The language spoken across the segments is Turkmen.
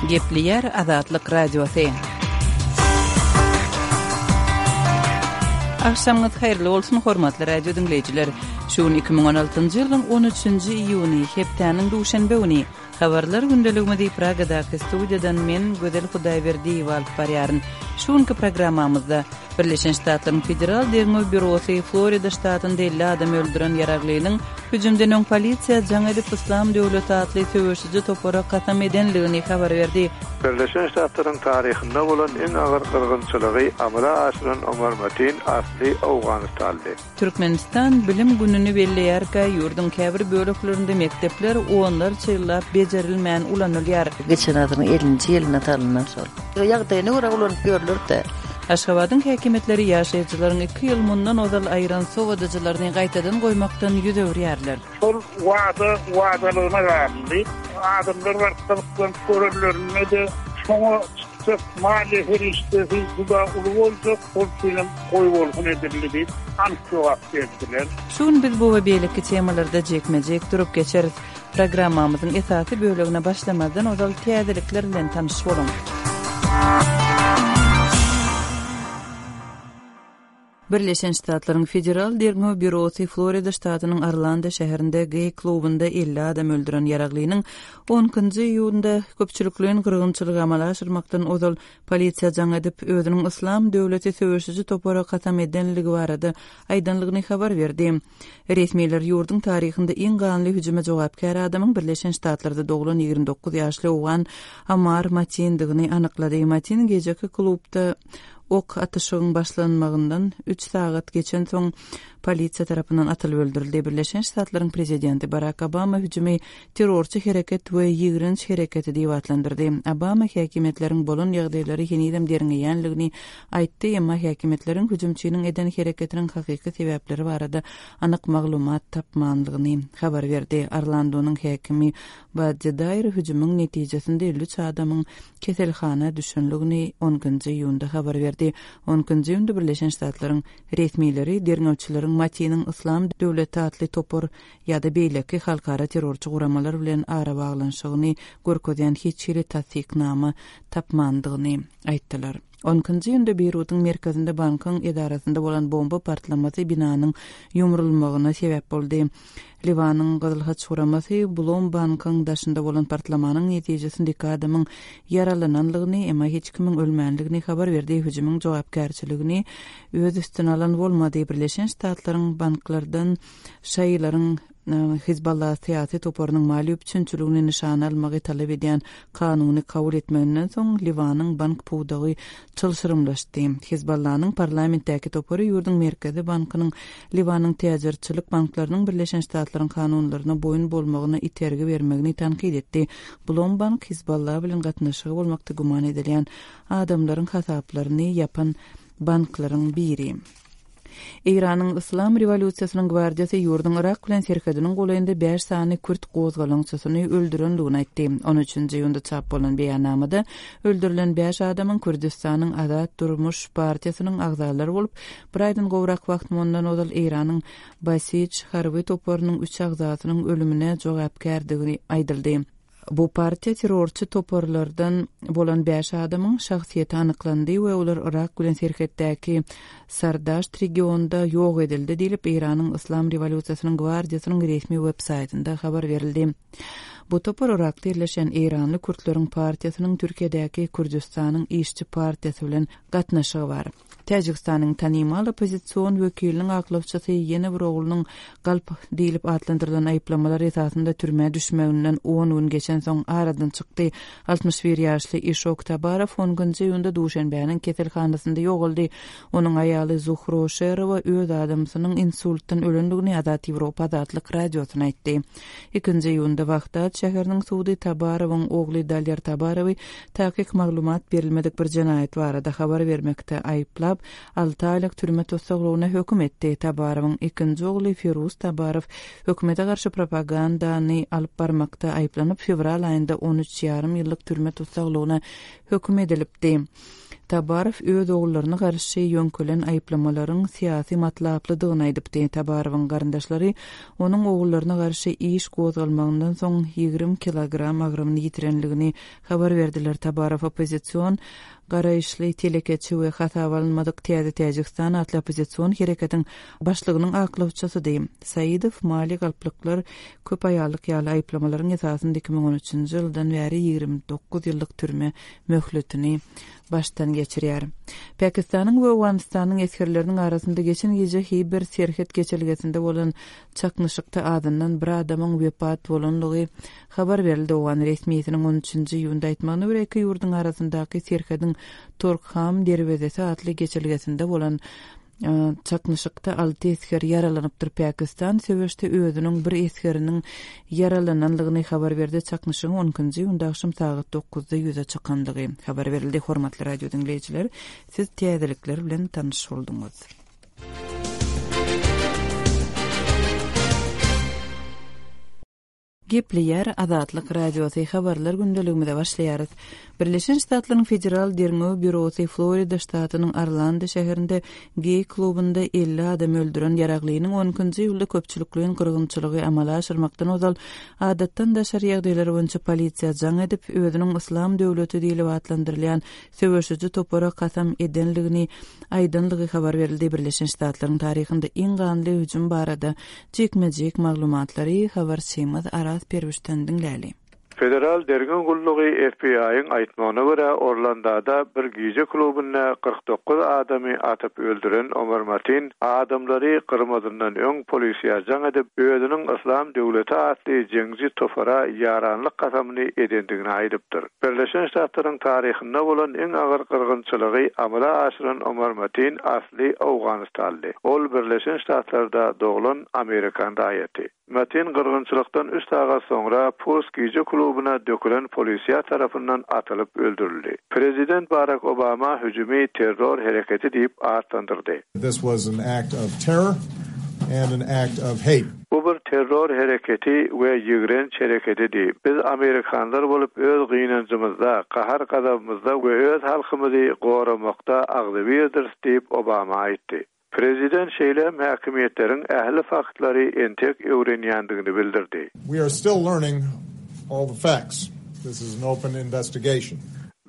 Gepleýär Azatlyk Radiosy. Agşamyňyz haýyrly bolsun, hormatly radio diňleýjiler. Şu gün 2016-njy ýylyň 13-nji iýuny, hepdäniň duşenbe güni. Habarlar gündeligimizi Pragadaky studiýadan men, Gözel Hudaýberdiýewa alyp barýaryn. Şu günki programmamyzda Birleşen Ştatlaryň Federal derňew býurosy Florida ştatynda 50 adam öldüren ýaraglynyň hüjümden öň polisiýa jaň edip Yslam döwleti atly söweşiji topara kasam edenligini habar berdi. Birleşen Ştatlaryň taryhynda bolan iň agyr gyrgynçylygy amala aşyran Omar Matin asly owganystanly. Türkmenistan Bilim gününi belleýärkä, ýurduň käbir böleklerinde mekdepler onlarça ýyllap bejerilmän ulanylýar. Geçen asyryň ellinji ýylynda salyndan şol. Ýagdaýyna görä ulanyp ýörler-dä. Aşgabadyň häkimiýetleri ýaşaýjylaryň iki ýyl mundan ozal aýyran sowadyjylaryny gaýtadan goýmakdan ýüz öwürýärler. Şol wada wadalygyna galdy. Adamlar baryp gyzyklanyp görenlerinde-de, şoňa çykjak maliýe serişdesi juda uly boljak, şol üçinem goýbolsun edildi diýip, anyk jogap berdiler. Şu gün biz bu we beýleki temalarda jikme-jik durup geçeris. Programmamyzyň esasy bölegine başlamazdan ozal täzelikler bilen tanyş boluň. Birleşen Ştatlaryň Federal derňew býurosy Florida ştatynyň Orlando şäherinde geý klubynda 50 adam öldüren ýaraglynyň on ikinji iýunda köpçülikleýin gyrgynçylygy amala aşyrmakdan ozal polisiýa jaň edip, özüniň Yslam döwleti söweşiji topara kasam edenligi barada aýdanlygyny habar berdi. Resmiler ýurduň taryhynda iň ganly hüjüme jogapkär adamyň Birleşen Ştatlarda doglan 29 ýaşly owgan Amar Matindigini anyklady. Matin gijeki klubda ok atyşygyň başlanmagyndan üç sagat geçensoň polisiýa tarapyndan atylyp öldürildi. Birleşen Ştatlaryň prezidenti Barak Obama hüjümi terrorçy hereket we ýigrenç hereketi diýip atlandyrdy. Obama häkimiýetleriň bolan ýagdaýlary henizem derňeýänligini aýtdy, emma häkimiýetleriň hüjümçiniň eden hereketiniň hakyky sebäpleri barada anyk maglumat tapmanlygyny habar berdi. Orlandonyň häkimi Baddi Daýr hüjümiň netijesinde 53 adamyň keselhana düşenligini on ikinji iýunda habar berdi. On ikinji iýunda Birleşen Ştatlaryň resmileri derňewçileriň Matiniň Yslam döwleti atly topar ýa-da beýleki halkara terrorçy guramalar bilen arabaglanyşygyny görkezýän hiç hili tassyknama tapmandygyny aýtdylar. On ikinji iýunda Beýrudyň merkezinde bankyň edarasynda bolan bomba partlamasy binanyň ýumrulmagyna sebäp boldy. Liwanyň Gyzyl Haç guramasy Blom bankyň daşynda bolan partlamanyň netijesinde iki adamyň ýaralananlygyny, emma hiç kimiň ölmänligini habar berdi. Hüjümiň jogapkärçiligini öz üstüne alan bolmady. Birleşen Ştatlaryň banklardan Şaýylaryň Hizballah syýasy toparynyň maliýe üpjünçiligini nyşana almagy talap edýän kanuny kabul etmeginden soň Liwanyň bank pudagy çylşyrymlaşdy. Hizballanyň parlamentdäki topary ýurduň Merkezi bankynyň Liwanyň täjirçilik banklarynyň Birleşen Ştatlaryň kanunlaryna boýun bolmagyna itergi bermegini tankyt etdi. Blom bank Hizballah bilen gatnaşygy bolmakda güman edilýän adamlaryň hasaplaryny ýapan banklaryň biri. Eýranyň Yslam rewolýusiýasynyň gwardiýasy ýurduň Yrak bilen serhediniň golaýynda bäş sany kürt gozgalaňçysyny öldürendigini aýtdy. On üçünji iýunda çap bolan beýannamada öldürilen bäş adamyň Kürdüstanyň Azat durmuş partiýasynyň agzalary bolup, bir aýdan gowrak wagt mundan ozal Eýranyň Basij harby toparynyň üç agzasynyň ölümine jogapkärdigi aýdyldy. Bu partiýa terrorçy toparlardan bolan bäş adamyň şahsyýeti anyklandy we olar Yrak bilen serhetdäki Sardaşt regionynda ýok edildi diýlip, Eýranyň Yslam rewolýusiýasynyň gwardiýasynyň resmi web-saýtynda habar berildi. Bu topar Yrakda ýerleşýän eýranly kürtleriň partiýasynyň Türkiýedäki Kürdüstanyň işçi partiýasy bilen gatnaşygy bar. Täjigistanyň tanymal oppozision wekiliniň aklawçysy ýene bir oglunyň galp diýlip atlandyrylan aýyplamalar esasynda türmä düşmeginden on gün geçensoň aradan çykdy. 61 ýaşly Işok Tabarow on nji iýunda Duşenbäniň keselhanasynda ýogaldy. Onuň aýaly Zuhro Şerowa öz adamsynyň insultdan ölendigini Azat Ýewropa Azatlyk Radiosyna aýtdy. Ikinji iýunda Wahdat şäheriniň sudy Tabarowyň ogly Daler Tabarowy takyk maglumat berilmedik bir jenaýat barada habar bermekde aýyplap, alty aýlyk türme tussaglygyna höküm etdi. Tabarowyň ikinji ogly Firuz Tabarow hökümete garşy propagandany alyp barmakda aýyplanyp, fewral aýynda on üç ýarym ýyllyk türme tussaglygyna höküm edilipdi. Tabarow öz ogullaryna garşy ýöňkelen aýyplamalaryň syýasy matlaplydygyny aýdypdy. Tabarowyň garyndaşlary onuň ogullaryna garşy iş gozgalmagyndan soň 20 kilogram agramyny ýitirenligini habar berdiler. Tabarow oppozision garaýyşly telekeçi we hasaba alynmadyk Täze Täjigistan atly oppozision hereketiň başlygynyň aklawçysydy. Saidow maliýe galplyklar, köp aýallyk ýaly aýyplamalaryň esasynda 2013-nji ýyldan bäri 29 ýyllyk türme möhletini başdan geçirýär. Pakistanyň we Owganystanyň esgerleriniň arasynda geçen gije Hiber serhet geçelgesinde bolan çaknyşykda azyndan bir adamyň wepat bolanlygy habar berildi. Owgan resmisiniň on üçünji iýunda aýtmagyna görä, iki ýurduň arasyndaky serhediň Torkham derwezesi atly geçelgesinde bolan Çaknyşykda alty esger ýaralanypdyr. Pakistan söweşde özüniň bir esgeriniň ýaralananlygyny habar berdi. Çaknyşygyň on ikinji iýunda agşam sagat dokuzda ýüze çykandygy habar berildi. Hormatly radio diňleýjiler, siz täzelikler bilen tanyş bolduňyz. Gepleýär Azatlyk Radiosy, Habarlar gündeligimize başlaýarys. Birleşen Ştatlaryň Federal derňew býurosy Florida ştatynyň Orlando şäherinde geý klubunda 50 adam öldüren ýaraglynyň on ikinji iýulda köpçülikleýin gyrgynçylygy amala aşyrmakdan ozal adatdan daşary ýagdaýlar boýunça polisiýa jaň edip, özüniň Yslam döwleti diýlip atlandyrylýan söweşiji topara kasam edenligini aýdanlygy habar berildi. Birleşen Ştatlaryň taryhynda iň ganly hüjüm barada Jikme-jik maglumatlary habarçymyz Araz Perwişden diňläli. Federal derňew gullugy FBI-iň aýtmagyna görä, Orlandada bir gije klubynda 49 adamy atyp öldüren Omar Matin adamlary gyrmazyndan öň polisiýa jaň edip, özüniň Yslam döwleti atly jeňçi topara ýaranlyk kasamyny edendigini aýdypdyr. Birleşen Ştatlaryň taryhynda bolan iň agyr gyrgynçylygy amala aşyran Omar Matin asly owganystanly. Ol Birleşen Ştatlarda doglan amerikan raýaty. Matin gyrgynçylykdan üç sagat soňra Pulse gije klubuna dökülen polisiýa tarapyndan atylyp öldürildi. Prezident Barak Obama hüjümi terror hereketi diýip atlandyrdy. This was an act of terror and an act of hate. Bu bir terror hereketi we ýigrenç hereketidi. Biz amerikanlar bolup öz gynanjymyzda, gahar-gazabymyzda we öz halkymyzy goramakda agzybirdiris diýip, Obama aýtdy. Prezident şeýle hem häkimiýetleriň ähli faktlary entek öwrenýändigini bildirdi. We are still learning all the facts. This is an open investigation.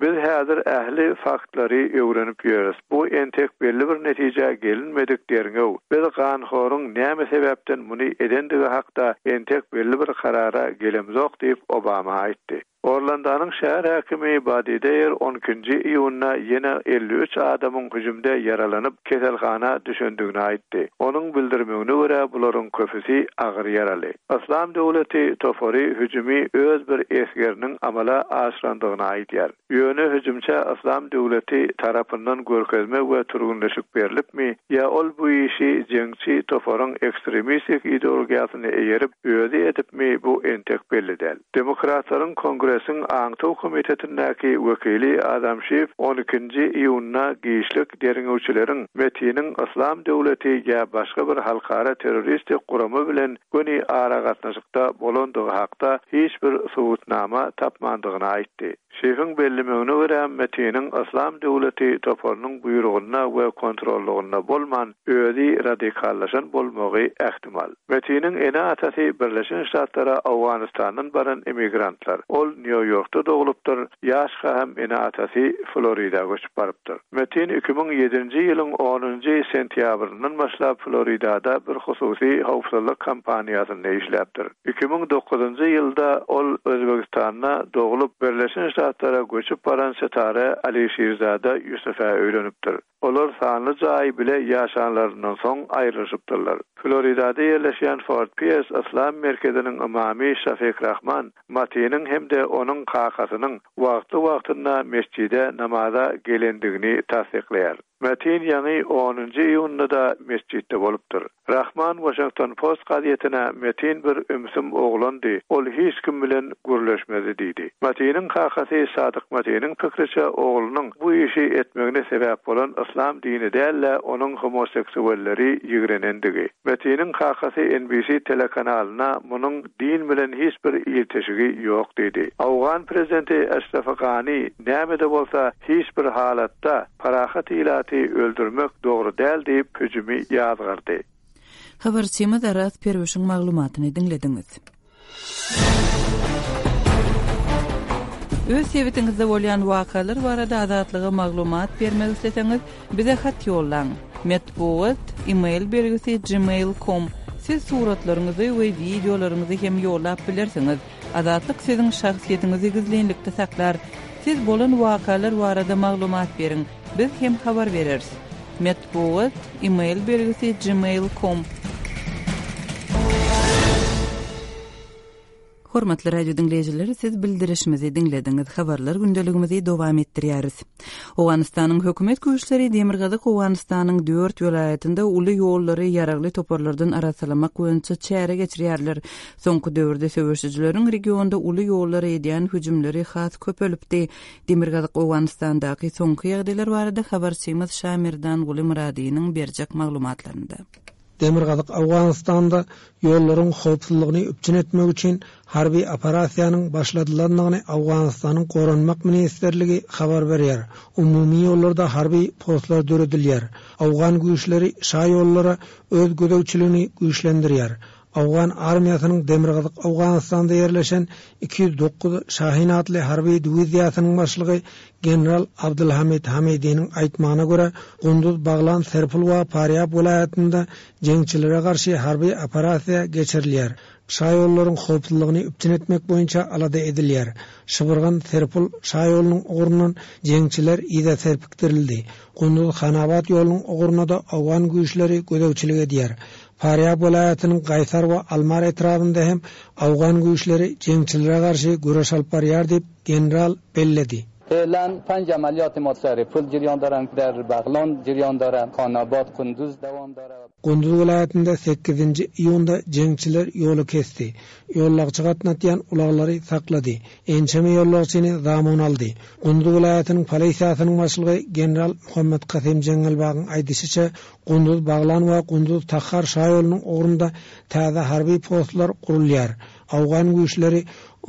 Biz häzir ähli faktlary öwrenip ýörüs. Bu entek belli bir netijä gelinmedik derňew. Biz ganhoryň näme sebäpden muny edendigi hakda entek belli bir karara gelemzok diýip, Obama aýtdy. Orlandanyň şäher häkimi Badi Deýer on ikinji iýunda ýene 53 adamyň hüjümde ýaralanyp, keselhana düşendigini aýtdy. Onuň bildirmegine görä, bularyň köpüsi agyr ýaraly. Yslam döwleti topary hüjümi öz bir esgeriniň amala aşyrandygyny aýdýar. Ýöne hüjümçä Yslam döwleti tarapyndan görkezme we türgünleşik berlipmi ýa ol bu işi jeňçi toparyň ekstremistik ideologiýasyna eýerip özi edipmi bu entek belli däl. Demokratlaryň Kongresiň aňtaw komitetindäki wekili Adam Şif on ikinji iýunda giçlik derňewçileriň Metiniň Yslam döwleti ýa başga bir halkara terroristik gurama bilen göni aragatnaşykda bolandygy hakda hiç bir subutnama tapmandygyny aýtdy. Şifiň bellemegine görä, Metiniň Yslam döwleti toparynyň buýrugynda we kontrollygynda bolman, özi radikallaşan bolmagy ähtimal. Metiniň ene-atasy Birleşen Ştatlara Owganystandan baran immigrantlar. Ol Nýu-Ýorkda doglupdyr, ýaşka hem ene-atasy Florida göçüp barypdyr. Metin 2007-nji ýylyň onunjy sentýabryndan başlap Floridada bir hususy howpsuzlyk kompaniýasynda işläpdir. 2009-njy ýylda ol Özbegistanda doglup, Birleşen Ştatlara göçüp baran Setare Alişirzada Ýusufä öýlenipdir. Olar sanly jaý bile ýaşanlaryndan soň aýrylyşypdyrlar. Floridada ýerleşýän Fort Piers yslam merkeziniň ymamy Şafik Rahman Matiniň hem-de onuň kakasynyň wagtly-wagtynda metjide namaza gelendigini tassyklaýar. Matin ýaňy onunjy iýunda-da metjitde bolupdyr. Rahman Washington Post gazetine Metin bir ümsüm oglandy, ol hiç kim bilen gürleşmezdi diýdi. Matiniň kakasy Sadyk Matiniň pikriçe oglunyň bu işi etmegine sebäp bolan. yslam dini däl-de, onuň homoseksualleri ýigrenendigi. Metiniň kakasy NBC telekanalyna munuň din bilen hiç bir ilteşigi ýok diýdi. Owgan prezidenti Eşref Gani näme-de bolsa hiç bir halatda parahat ilaty öldürmek dogry däl diýip hüjümi ýazgardy. Habarçymyz Araz Perwişiň maglumatyny diňlediňiz. Öz sebitiňizde bolýan wakalar barada Azatlyga maglumat bermek isleseňiz, bize hat ýollaň. Metbugat, e-mail belgisi gmail com Siz suratlaryňyzy we wideolaryňyzy hem ýollap bilersiňiz. Azatlyk siziň şahsyýetiňizi gizlinlikde saklar. Siz bolan wakalar barada maglumat beriň, biz hem habar bereris. Metbugat, e-mail belgisi gmail com. Hormatly radio diňleýjiler, siz bildirişimizi diňlediňiz. Habarlar gündeligimizi dowam etdirýäris. Owganystanyň hökümet güýçleri Demirgazyk Owganystanyň dört welaýatynda uly ýollary ýaragly toparlardan arassalamak boýunça çäre geçirýärler. Soňky döwürde söweşijileriň regionda uly ýollara edýän hüjümleri has köpelipdi. Demirgazyk Owganystandaky soňky ýagdaýlar barada habarçymyz Şamerdanguly Myradynyň berjek maglumatlarynda. Demirgazyk Owganystanda ýollaryň howpsuzlygyny üpjün etmek üçin harby operasiýanyň başladylandygyny Owganystanyň Goranmak ministrligi habar berýär. Umumy ýollarda harby postlar döredilýär. Owgan güýçleri şaýollara öz gözegçiligini güýçlendirýär. Owgan armiýasynyň Demirgazyk Owganystanda ýerleşen 209 Şahin atly harby diwiziýasynyň başlygy general Abdulhamid Hamidiniň aýtmagyna görä, Gunduz, Baglan, Serpul we Parýab welaýatynda jeňçilere garşy harby operasiýa geçirilýär. Şaýollaryň howpsuzlygyny üpjün etmek boýunça alada edilýär. Şybyrgan, Serpul şaýolunyň ugrundan jeňçiler yza serpikdirildi. Gunduz, Hanabat ýolunyň ugruna-da owgan güýçleri gözegçilik edýär. Farýab welaýatynyň Gaýsar we Almar etrabynda hem owgan güýçleri jeňçilere garşy göreş alyp barýar diýip, general belledi. Fe'lan panj amaliyati ma Saripul jeriyan daran, der Baglan jeriyan dara, Khanabad, Kunduz dawam dara. Gunduz welaýatynda sekizinji iýunda jeňçiler ýoly kesdi. Ýollagçy gatnatýan ulaglary saklady. Ençeme ýollagçyny zamun aldy. Gunduz welaýatynyň polisiýasynyň başlygy general Muhammet Kasym Jeňňelbagyň aýdyşyça, Gunduz Baglan we Gunduz Tahar şaýolunyň ugrunda täze harby postlar gurulýar. Owgan güýçleri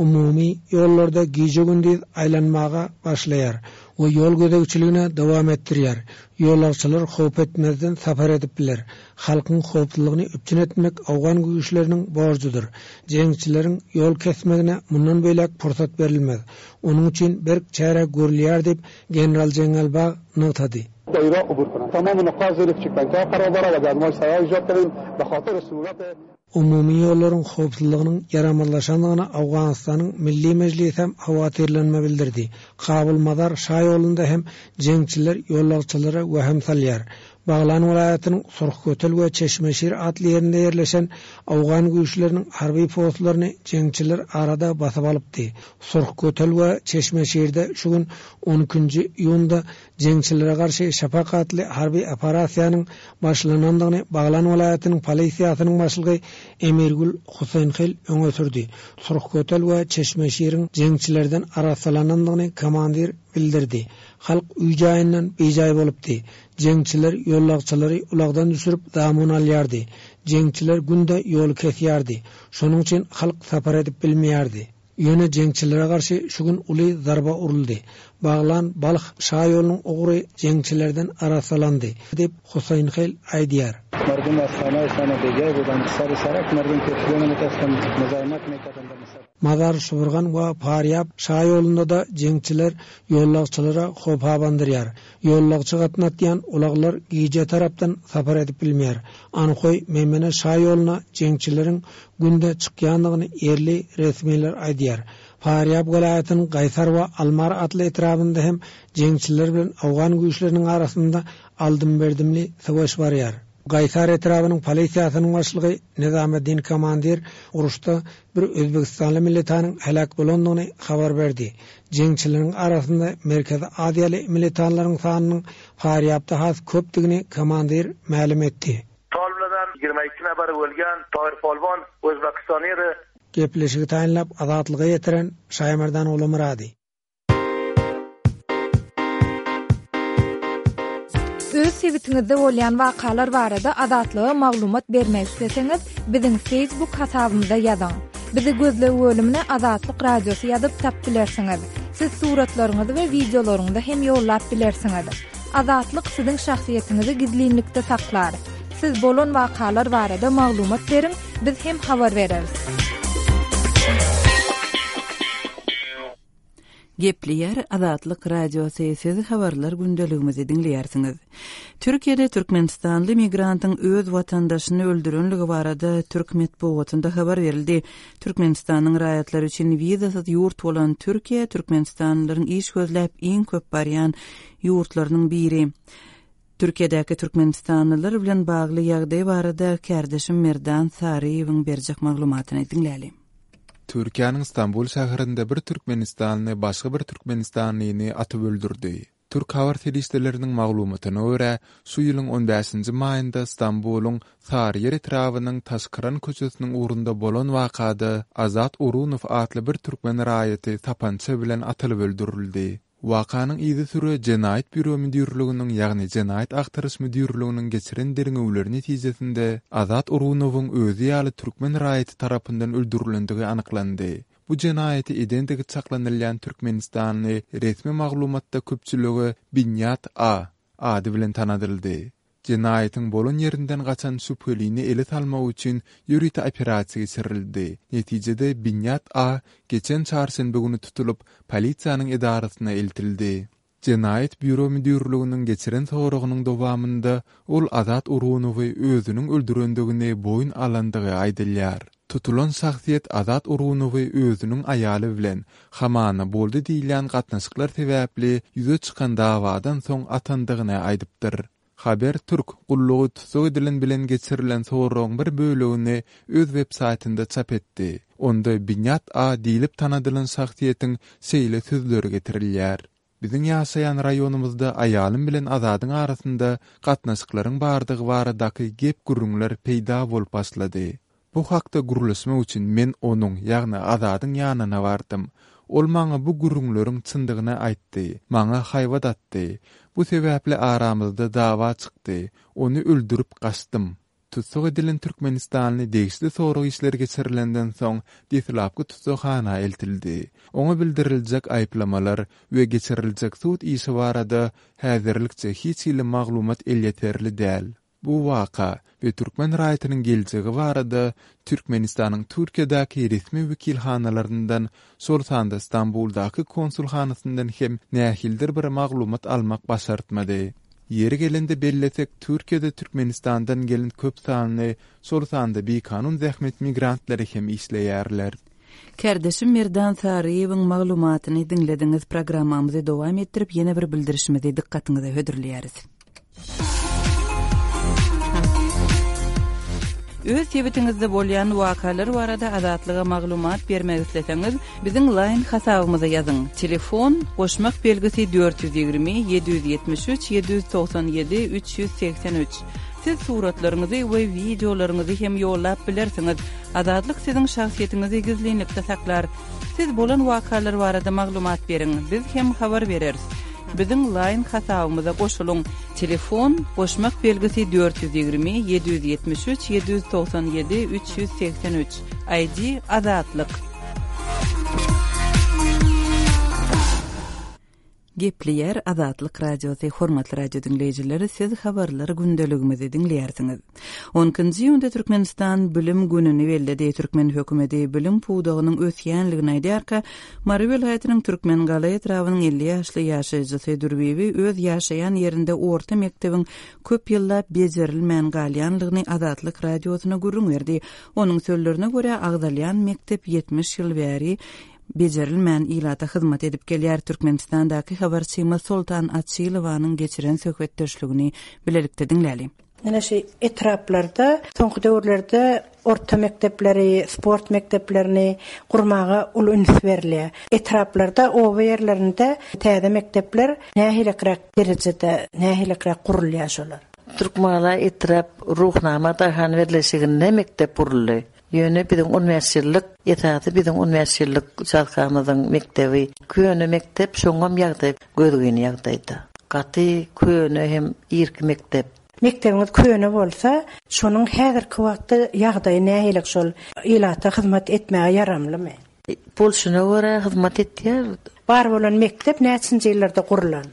umumy ýollarda gije-gündiz aýlanmaga başlaýar we ýol gözegçiligine dowam etdirýär. Ýolagçylar howp etmezden sapar edip biler. Halkyň howpsuzlygyny üpjün etmek owgan güýçleriniň borjudyr. Jeňçileriň ýol kesmegine mundan beýläk pursat berilmez. Onuň üçin berk çäre görülýär diýip, general Jeňňelbag nygtady. Umumy ýollaryň howpsuzlygynyň ýaramazlaşandygyna Owganystanyň Milli Mejlisi hem howatyrlanma bildirdi. Kabul-Mazar şaýolunda hem jeňçiler ýolagçylara wehim salýar. Baglan welaýatynyň Surhkötel we Çeşmeşir atly ýerinde ýerleşen owgan güýçleriniň harby postlaryny jeňçiler arada basyp alypdy. Surhkötel we Çeşmeşirde şu gün on ikinji iýunda Jeňçilere garşy Şapak atly harby operasiýanyň başlanandygyny Baglan welaýatynyň polisiýasynyň başlygy Emirgül Huseýnhil öňe sürdi. Surhkötel we Çeşmeşiriň jeňçilerden arassalanandygyny komandir bildirdi. Halk öý-jaýyndan bijaý bolupdy. Jeňçiler ýollagçylary ulagdan düşürip zamun alýardy. Jeňçiler günde ýoly kesýärdi. Şonuň üçin halk sapar edip bilmeýärdi. Ýöne jeňçilere garşy şu gün uly zarba uruldy. Baglan, Balh şaýolunyň ugry jeňçilerden arassalandy, diýip, Huseýnhel aýdýar. Mazar, Şybyrgan we Parýab şaýolunda-da jeňçiler ýollagçylara howp abandyrýar. Ýollagçy gatnatýan ulaglar gije tarapdan sapar edip bilmeýär. Anhoý, Meýmene şaýoluna jeňçileriň günde çykýandygyny ýerli resmiler aýdýar. Farýab welaýatynyň Gaýsar we Almar atly etrabynda hem jeňçiler bilen owgan güýçleriniň arasynda aldym-berdimli söweş barýar. Gaýsar etrabynyň polisiýasynyň başlygy Nizameddin Komandir uruşda bir özbegistanly militanyň heläk bolandygyny habar berdi. Jeňçileriň arasynda merkezi aziýaly militanlaryň sanynyň Farýabda has köpdügini komandir mälim etdi. Toliblardan 22 nafar o'lgan Tohir Polvon O'zbekiston edi. Gepleşigi taýynlap Azatlyga ýetiren Şaýmerdan Ulumyrady. Öz sebitiňizde bolýan wakalar barada Azatlyga maglumat bermek isleseňiz, biziň Facebook hasabymyza ýazyň. Bizi gözleg bölümine Azatlyk Radiosy ýazyp tap bilersiňiz. Siz suratlaryňyzy we wideolaryňyzy hem ýollap bilersiňiz. Azatlyk siziň şahsyýetiňizi gizlinlikde saklar. Siz bolan wakalar barada maglumat beriň, biz hem habar bereris. Gepleýär Azatlyk Radiosy, siz habarlar gündeligimizi diňleýärsiňiz. Türkiýede türkmenistanly migrantyň öz watandaşyny öldürenligi barada türk metbugatynda habar berildi. Türkmenistanyň raýatlary üçin wizasyz ýurt bolan Türkiýe türkmenistanlylaryň iş gözläp iň köp barýan ýurtlarynyň biri. Türkiýedäki türkmenistanlylar bilen bagly ýagdaý barada kärdeşim Merdan Saryýewiň berjek maglumatyny diňläliň. Türkiýäniň Stambul şäherinde bir türkmenistanly başga bir türkmenistanlyny atyp öldürdi. Türk habar serişdeleriniň maglumatyna görä, şu ýylyň on bäşinji maýynda Stambulyň Saryýer etrabynyň Taşkyran köçesiniň ugrunda bolan wakada Azat Urunow atly bir türkmen raýaty sapança bilen atylyp öldürildi. Wakanyň yzysüre Jenaýat býuro müdirliginiň, ýagny Jenaýat agtaryş müdirliginiň geçiren derňewleri netijesinde Azat Urunowyň özi ýaly türkmen raýaty tarapyndan öldürilendigi anyklandy. Bu jenaýaty edendigi çaklanylýan türkmenistanly resmi maglumatda köpçülige Binýat A. ady bilen tanadyldy. Jenaýatyň bolan ýerinden gaçan şübhelini ele salmak üçin ýörite operasiýa geçirildi. Netijede Binýat A. geçen çarşenbe güni tutulyp, polisiýanyň edarasyna eltildi. Jenaýat býuro müdirliginiň geçiren soragynyň dowamynda ol Azat Urunowy özüniň öldürendigini boýun alandygy aýdylýar. Tutulan şahsyýet Azat Urunowy özüniň aýaly bilen, hamana boldy diýilýän gatnaşyklar sebäpli ýüze çykan dawadan soň atandygyny aýdypdyr. Haber Türk gullugy tussag edilen bilen geçirilen soragyň bir bölegini öz websaýtynda çap etdi. Onda Binýat A diýlip tanadylan şahsyýetiň şeýle sözleri getirilýär, Biziň ýaşaýan raýonymyzda aýalym bilen Azadyň arasynda gatnaşyklaryň bardygy baradaky gep-gürrüňler peýda bolup başlady. Bu hakda gürleşmek üçin men onuň, ýagny Azadyň ýanyna bardym. Ol maňa bu gürrüňleriň çyndygyny aýtdy, maňa haýbat atdy. Bu sebäpli aramyzda dawa çykdy. Ony öldürip gaçdym. Tussag edilen türkmenistanly degişli sorag işleri geçirilenden soň, deslapky tussaghana eltildi. Oňa bildiriljek aýyplamalar we geçiriljek sud işi barada häzirlikçe hiç hili maglumat elýeterli däl. Bu waka we türkmen raýatynyň geljegi barada Türkmenistanyň Türkiýedäki resmi wekilhanalaryndan, şol sanda Stambuldaky konsulhanasyndan hem nähilidir bir maglumat almak başartmady. Ýeri gelende bellesek, Türkiýede Türkmenistandan gelen köp sanly, şol sanda bikanun zähmet migrantlary hem işleýärler. Kärdeşim Merdan Saryýewiň maglumatyny diňlediňiz. Programmamyzy dowam etdirip, ýene bir bildirişimizi dykgatyňyza hödürleýäris. Öz sebitiňizde bolýan wakalar barada Azatlyga maglumat bermek isleseňiz, biziň Line hasabymyza ýazyň, telefon, goşmak belgisi 420 773 797 383. Siz suratlaryňyzy we wideolaryňyzy hem ýollap bilersiňiz. Azatlyk siziň şahsyýetiňizi gizlinlikde saklar. Siz bolan wakalar barada maglumat beriň, biz hem habar bereris. Biziň Line hasabymyza goşulyň, telefon, goşmak belgisi 420 773 797 383, ID, Azatlyk. Gepleýär Azatlyk Radiosy, Hormatly radio diňleýjiler, siz habarlar gündeligimizi diňleýärsiňiz. On ikinji iýunda Türkmenistan Bilim gününi belledi. Türkmen hökümeti bilim pudagynyň ösýänligini aýdýarka, Mary welaýatynyň Türkmengala etrabynyň 50 ýaşly ýaşaýjysy Dürbibi öz ýaşaýan ýerinde orta mekdebiň köp ýyllap bejerilmän galýanlygyny Azatlyk Radiosyna gürrüň berdi. Onuň sözlerine görä, agzalýan mekdep 70 ýyl bäri bejerilmän ilata hyzmat edip gelýär. Türkmenistandaky habarçymyz Soltan Açylowanyň geçiren söhbetdeşligini bilelikde diňläliň. Ine şu etraplarda soňky döwürlerde orta mekdepleri, sport mekdeplerini gurmaga uly üns berilýär. Etraplarda, oba ýerlerinde täze mekdepler nähiliräk derejede, nähiliräk gurulýar şolar? Türkmengala etrap Ruhnama daýhan birleşiginde mekdep guruldy. Ýöne biziň on bäş ýyllyk, esasy biziň on bäş ýyllyk uçastkamyzyň mekdebi köne mekdep, şoňam ýagdaý gözgyny ýagdaýda. Gaty köne hem irki mekdep. Mekdebiňiz köne bolsa, şonuň häzirki wagtda ýagdaýy nähili şol ilata hyzmat etmäge ýaramlymy? Bolşuna görä hyzmat etýär. Bar bolan mekdep näçinji ýyllarda gurlan?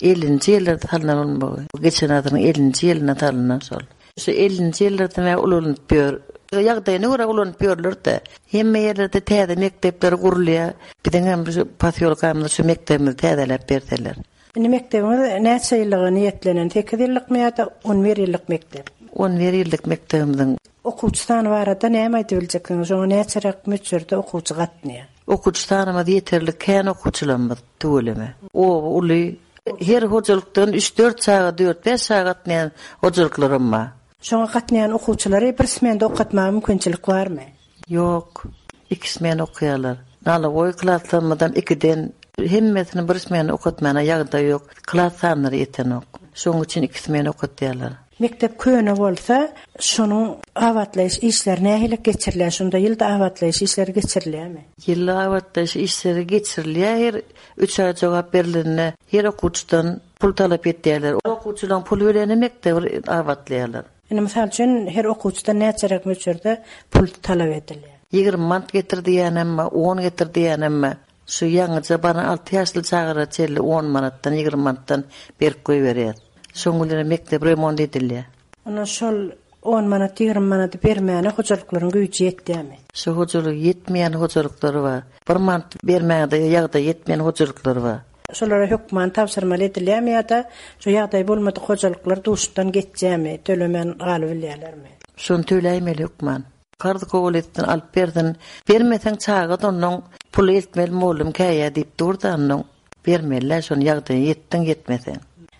Ellinji ýyllarda salnan bolmagy. Geçen asyryň ellinji ýylynda salnan şol. Şu ellinji ýyllardan bäri ulanyp ýör. Ýagdaýyna görä ulanyp ýörler-de. Hemme ýerlerde täze mekdepler gurulýar. Biziň hem şu posýolkamyzda şu mekdebimizi täzeläp berseler. Indi mekdebiňiz näçe ýyllyga niýetlenen? Sekiz ýyllykmy ýa-da on bir ýyllyk mekdep? On bir ýyllyk mekdebimiziň. Okuwçy sany barada näme aýdyp biljeksiňiz? Şoňa näçeräk möçberde okuwçy gatnaýar? Okuwçy sanymyz ýeterlik, kän okuwçylarymyz tüweleme. Oba uly. Her hojalykdan üç-dört çaga, dört-bäş çaga gatnaýan hojalyklaram bar. Şoňa gatnaýan okuwçylary bir smenda okatmaga mümkinçilik barmy? Ýok. Iki smen okaýarlar. Nalogoý klaslarymyzam ikiden. Hemmesini bir smena okatmana ýagdaý ýok. Klas sanlary ýetenok. Şonuň üçin iki smen okatýarlar. Mekdep köne bolsa, şonuň abatlaýyş işleri nähili geçirilýär? Şunda ýylda abatlaýyş işleri geçirilýärmi? Ýylda abatlaýyş işleri geçirilýär. Her üç aý jogap berlende her okuwçydan pul talap etýärler. Okuwçylaryň puly bilenem mekdebi abatlaýarlar. Indi mysal üçin her okuwçydan näçeräk möçberde pul talap edilýär? 20 manat getir diýýänem bar, on getir diýýänem bar. Şu ýaňyja baran alty ýaşly çagalara çenli on manatdan, 20 manatdan berip goýberýär. Şoň bilenem mekdep remont edilýär. Onda şol on manat, 20 manady bermäne hojalyklaryň güýji ýetýärmi? Şu hojalygy ýetmeýän hojalyklar bar. Bir manat bermäge-de ýagdaýy ýetmeýän hojalyklar bar. Şolara hökman tabşyrmaly edilýärmi ýa-da şu ýagdaýy bolmadyk hojalyklar duşdan geçýärmi, tölemän galybilýärlermi? Şony töläýmeli hökman. Karz kabul etsin, alyp bersin. Bermeseň çaga-da onnoň puly eltmeli mollum käýýä diýip dur-da onnoň. Bermeli-dä şony ýagdaýyň ýetdiň ýetmeseň.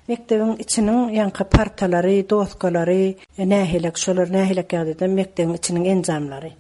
Mekdebiň içiniň ýaňky partalary, doskalary nähilek, şolar nähilek ýagdaýda mekdebiň içiniň enjamlary?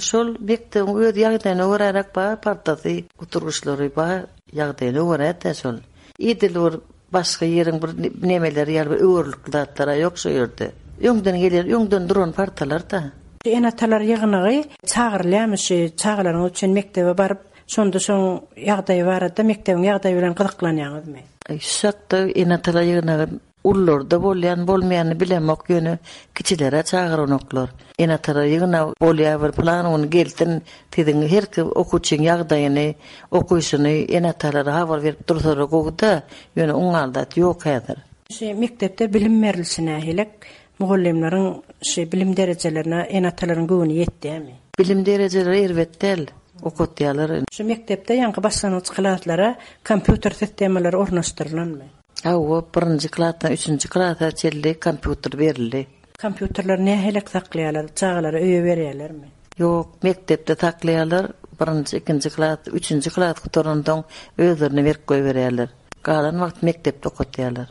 Şol mekdebiň öz ýagdaýyna göräräk bar partasy, oturgyçlary bar, ýagdaýyna görä-dä şol. Edil bir başga ýeriň bir nemeleri ýaly bir öwerlikli zatlar-a ýok şo ýerde. Öňden gelen, öňden duran partalar-da. Ene-atalar ýygnagy çagyrylýarmy şu çagalaryňyz üçin mekdebe baryp, şonda şoň ýagdaýy barada mekdebiň ýagdaýy bilen gyzyklanýaňyzmy? Şu hakda ene-atalar ýygnagy Ulularda bolýan bolmaýanyny bilemok ýöne kiçilerä çagyranoklar. Ene-atalar ýygnaw bolýar bir pylan gün gelsin siziň herki okuwçyň ýagdaýyny okyşyny ene-atalara habar berip dursalar gowuda ýöne oňňaly zat ýok häzir. Şu mekdepde bilim berilişi nähilek? Mugallymlaryň şu bilim derejelerine ene-atalaryň göwni ýetýärmi? Bilim derejeleri erbet däl, okatýarlar. Şu mekdepde ýaňky başlangyç klaslara kompýuter sistemalary ornaşdyrylanmy? Hawa, birinji klasdan üçünji klasa çenli kompýuter berildi. Kompýuterleri nähilek saklaýarlar, çagalara öýe berýärlermi? Ýok, mekdepde saklaýarlar, birinji, ikinji klas, üçünji klas gutaransoň özlerine berip goýberýärler. Galan wagt mekdepde okatýarlar.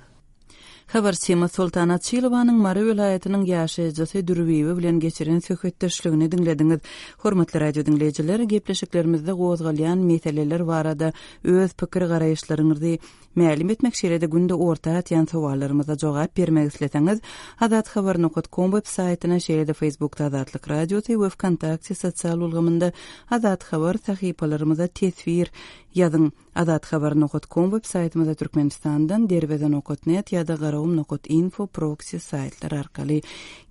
Habarçymyz Soltan Açylowanyň Mary welaýatynyň ýaşaýjysy Dürbibi bilen geçiren söhbetdeşligini diňlediňiz. Hormatly radio diňleýjiler, gepleşiklerimizde gozgalýan meseleler barada öz pikir-garaýyşlaryňyzy Mälim etmek şeýle-de günde orta atýan sowallarymyza jogap bermek isleseňiz, azathabar nokat kom web saýtyna şeýle-de Facebookda Azatlyk Radiosy we Wkontakte sosial ulgamynda Azathabar sahypalarymyza teswir ýazyň. Azathabar nokat kom web saýtymyza Türkmenistandan Derweze nokat net ýa-da Garagum nokat info proksi saýtlary arkaly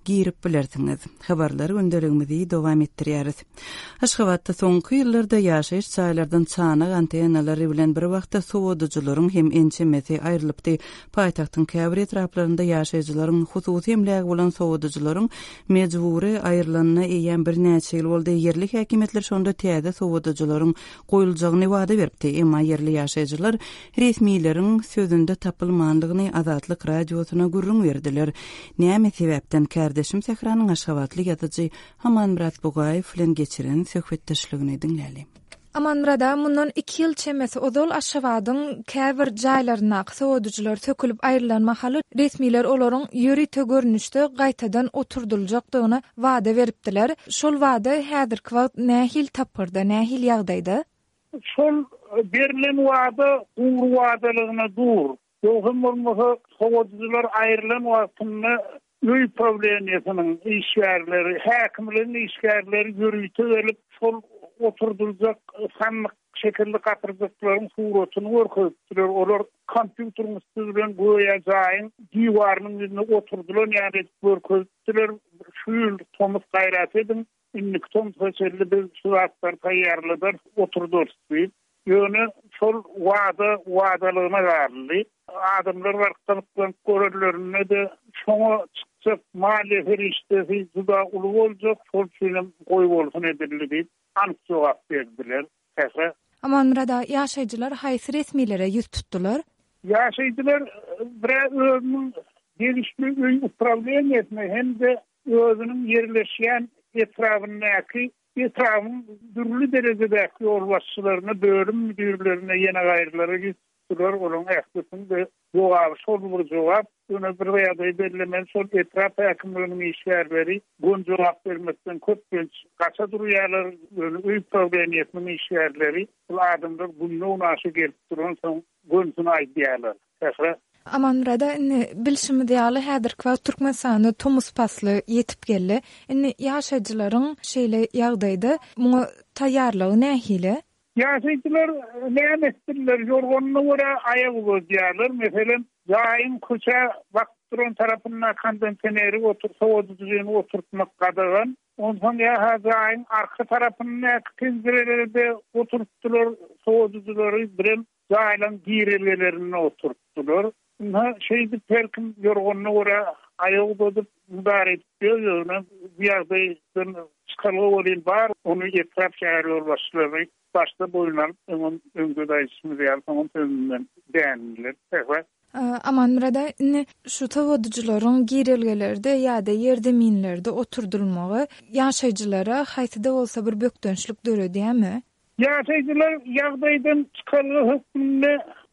girip bilersiňiz. Habarlar gündeligimizi dowam etdirýäris. Aşgabatda soňky ýyllarda ýaşaýyş jaýlardan çanak antennalary bilen bir wagtda sowadyjylaryň hem ençemesi aýrylypdy. Paýtagtyň käbir etraplarynda ýaşaýjylaryň hususy emlägi bolan sowadyjylaryň mejbury aýrylanyna eýýäm birnäçe ýyl boldy. Ýerli häkimiýetler şonda täze sowadyjylaryň goýuljagyny wada beripdi. Emma ýerli ýaşaýjylar resmileriň sözünde tapylmandygyny Azatlyk Radiosyna gürrüň berdiler. Näme sebäpden kärdeşim Sähranyň aşgabatly ýazyjy Amanmyrat Bugaýew bilen geçiren söhbetdeşligini diňläli. Amanmyrat aga, mundan iki ýyl çemesi ozal Aşgabadyň käbir jaýlaryndaky sowadyjylar sökülip aýrylan mahaly resmiler olaryň ýörite görnüşde gaýtadan oturdyljakdygyny wada beripdiler. Şol wada häzirki wagt nähili tapgyrda, nähili ýagdaýda? Şol berlen wada gury wadalygyna dur. Ýogsam bolmasa, sowadyjylar aýrylan wagtynda öý prawleniýesiniň işgärleri, häkimligiň işgärleri ýörite gelip, şol. oturdyljak sandyk şekilli gapyrjaklaryň suratyny görkezipdiler. Olar kompýuteriň üsti bilen göýä jaýyň diwarynyň ýüzüne oturdylan ýaly edip görkezipdiler. Şu ýyl tomus gaýrat ediň, indiki tomsusa çenli biz şu zatlary taýýarladarys, oturdarys diýip. Ýöne şol wada wadalygyna galdy. Adamlar baryp gyzyklanyp görenlerinde-de şoňa çykjak maliýe serişdesi juda uly boljak, şol üçinem goýbolsun edildi diýip, anyk jogap berdiler. Sähra. Amanmyrat aga, ýaşaýjylar haýsy resmilere ýüz tutdular? Ýaşaýjylar bir-ä özüniň degişli öý uprawleniýesine hem-de özüniň ýerleşýän etrabyndaky Etrabyň dürli derejedäki ýolbaşçylaryna, bölüm müdirlerine, ýene gaýrylara ýüz tutdular. Olaryň ählisiniň-de jogaby şol bir jogap. Ýöne bir ýagdaýy bellemeli, şol etrap häkimliginiň işgärleri göni jogap bermekden köplenç gaça durýarlar. Ýöne öý prawleniýesiniň işgärleri bul adamlar günde-günaşa gelip duransoň gönsüni aýdýarlar. Sähra. Amanmyrada indi bilşimiz ýaly häzirki wagt Türkmenistanda tomus pasly ýetip geldi. Indi ýaşaýjylaryň şeýle ýagdaýda muňa taýýarlygy nähili? Ýaşaýjylar näme etsinler, ýorganyna görä aýak uzadýarlar. Meselem, jaýyň köçä bakyp duran tarapynda kondenseneri otur, sowadyjyny oturtmak gadagan. Onsoň ýa-ha jaýyň arka tarapyndaky penjirelere-de oturtdylar sowadyjylary, birem Jaýlaryň girelgelerinde oturtdylar. Ynha, şeýdip her kim ýorganyna görä aýak uzadyp, mydar edip ýör. Ýöne bu ýagdaýdan çykalga welin bar. Ony etrap, şäher ýolbaşçylary başda boýun alyp, öňem öňde-de aýdyşymyz ýaly, soňam sözünden dändiler. Sähra. Amanmyrat aga, indi şu sowadyjylaryň girelgelerde ýa-da ýerzeminlerde oturdylmagy ýaşaýjylara haýsy-da bolsa bir bökdençlik döredýärmi? Ýaşaýjylar ýagdaýdan çykalga hökmünde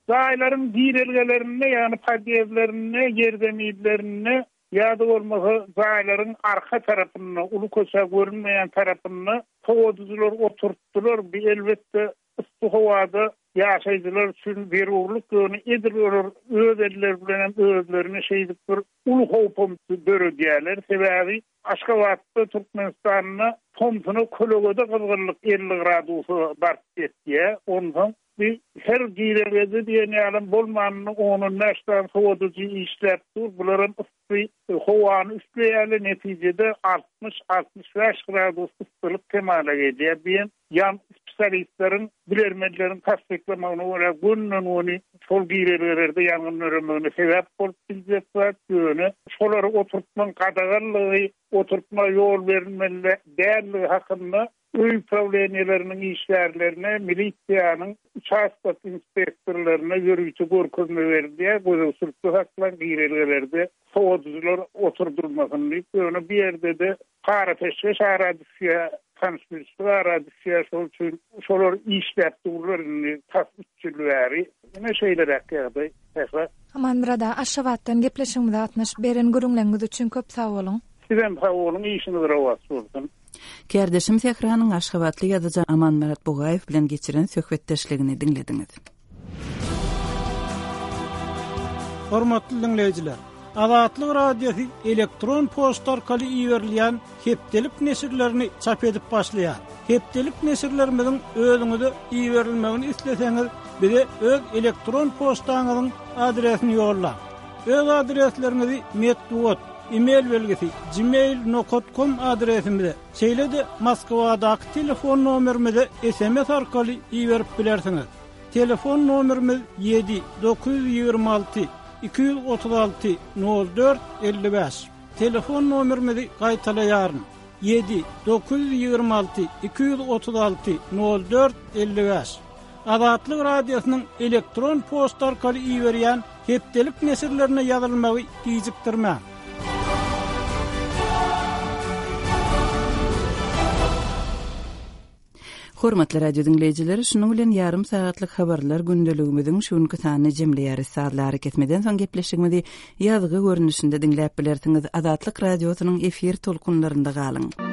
jaýlaryň girelgelerinde, ýagny podýezdlerinde, ýerzeminlerinde ýa-da bolmasa jaýlaryň arka tarapynda, uly köçä görünmeýän tarapynda sowadyjylar oturtdylar. Bu, elbetde, yssy howada ýaşaýjylar üçin zerurlyk, ýöne edil olar öz elleri bilenem özlerine şeýdip bir uly howpam döredýärler. Sebäbi Aşgabatda, Türkmenistanda tomsuna kölegede gyzgynlyk 50 gradusa baryp ýetýär. Onsoň bi her girelgede diýen ýalam bolmanynda on-on bäş sany sowadyjy işläp dur. Bularam yssy howany üfleýärler. Netijede 60, 65 gradus yssylyk kemala gelýär. Diýen Ýan spesialistleriň, bilermenleriň tassyklamagyna görä, gönden-göni şol girelgelerde ýangyn döremegine sebäp bolup biljek zat, ýöne şolary oturtmagyň gadaganlygy, oturtma ýol berilmeli däldigi hakynda öý uprawleniýeleriniň işgärlerine, milisiýanyň uçastok inspektorlaryna ýörite görkezme berilýär, gözegçilikde saklaň, girelgelerde sowadyjylar oturdylmasyn diýip, ýöne bu ýerde-de para-peşgeş ara düşýär, tanyş-bilişlik ara düşýär, şol üçin şolar işläp durlar indi tas üç ýyl bäri. Ine şeýleräk ýagdaý, Sähra. Amanmyrat aga, Aşgabatdan gepleşigimize gatnaşyp, beren gürrüňleriňiz üçin köp sag boluň! Sizem sag boluň, işiňiz rowaç bolsun! Kärdeşim Sähranyň aşgabatly ýazyjy Amanmyrat Bugaýew bilen geçiren söhbetdeşligini diňlediňiz. Hormatly diňleýjiler! Azatlyk Radiosy elektron poçta arkaly iberilýän hepdelik neşirlerini çap edip başlaýar. Hepdelik neşirlerimiziň özüňize iberilmegini isleseňiz, bize öz elektron poçtaňyzyň adresini ýollaň. Öz adresleriňizi metbugat, e-mail belgisi, gmail nokat kom adresimize, şeýle-de Moskwadaky telefon nomerimize sms arkaly iberip bilersiňiz. Telefon nomerimiz ýedi, 926 236 04 55. Telefon nomerimizi gaýtalaýaryn, ýedi, 926 236 04 55. Azatlyk Radiosynyň elektron poçta arkaly iberýän hepdelik neşirlerine ýazylmagy gijikdirmäň. Hormatly radio diňleýjiler, şunuň bilen ýarym sagatlyk habarlar gündeligimiziň şu günki sanyny jemleýäris. Sazly arakesmeden soň gepleşigimizi ýazgy görnüşinde diňläp bilersiňiz. Azatlyk Radiosynyň efir tolkunlarynda galyň.